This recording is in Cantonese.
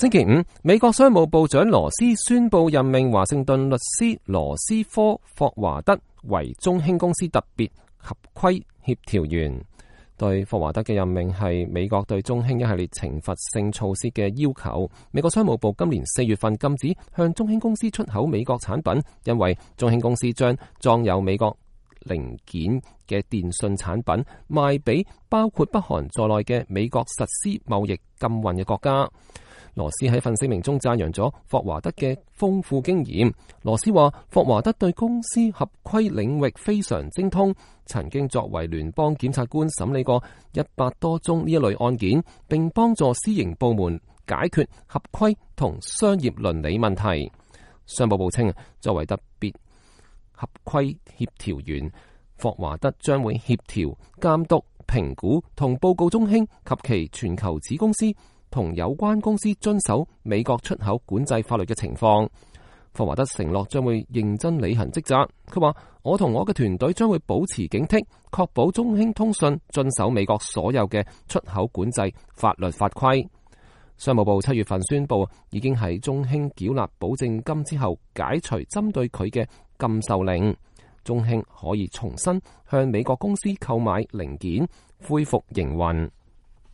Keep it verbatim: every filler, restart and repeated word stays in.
星期五，美國商務部長羅斯宣布任命華盛頓律師羅斯科霍華德為中興公司特別合規協調員。對霍華德嘅任命係美國對中興一系列懲罰性措施嘅要求。美國商務部今年四月份禁止向中興公司出口美國產品，因為中興公司將裝有美國零件嘅電信產品賣俾包括北韓在內嘅美國實施貿易禁運嘅國家。羅斯喺份聲明中讚揚咗霍華德嘅豐富經驗。羅斯話霍華德對公司合規領域非常精通，曾經作為聯邦檢察官審理過一百多宗呢一類案件，並幫助私營部門解決合規同商業倫理問題。商務部稱，作為特別合規協調員，霍華德將會協調、監督、評估同報告中興及其全球子公司同有關公司遵守美國出口管制法律嘅情況。霍華德承諾將會認真履行職責。佢話：我同我嘅團隊將會保持警惕，確保中興通訊遵守美國所有嘅出口管制法律法規。商務部七月份宣布，已經喺中興繳納保證金之後解除針對佢嘅禁售令，中興可以重新向美國公司購買零件，恢復營運。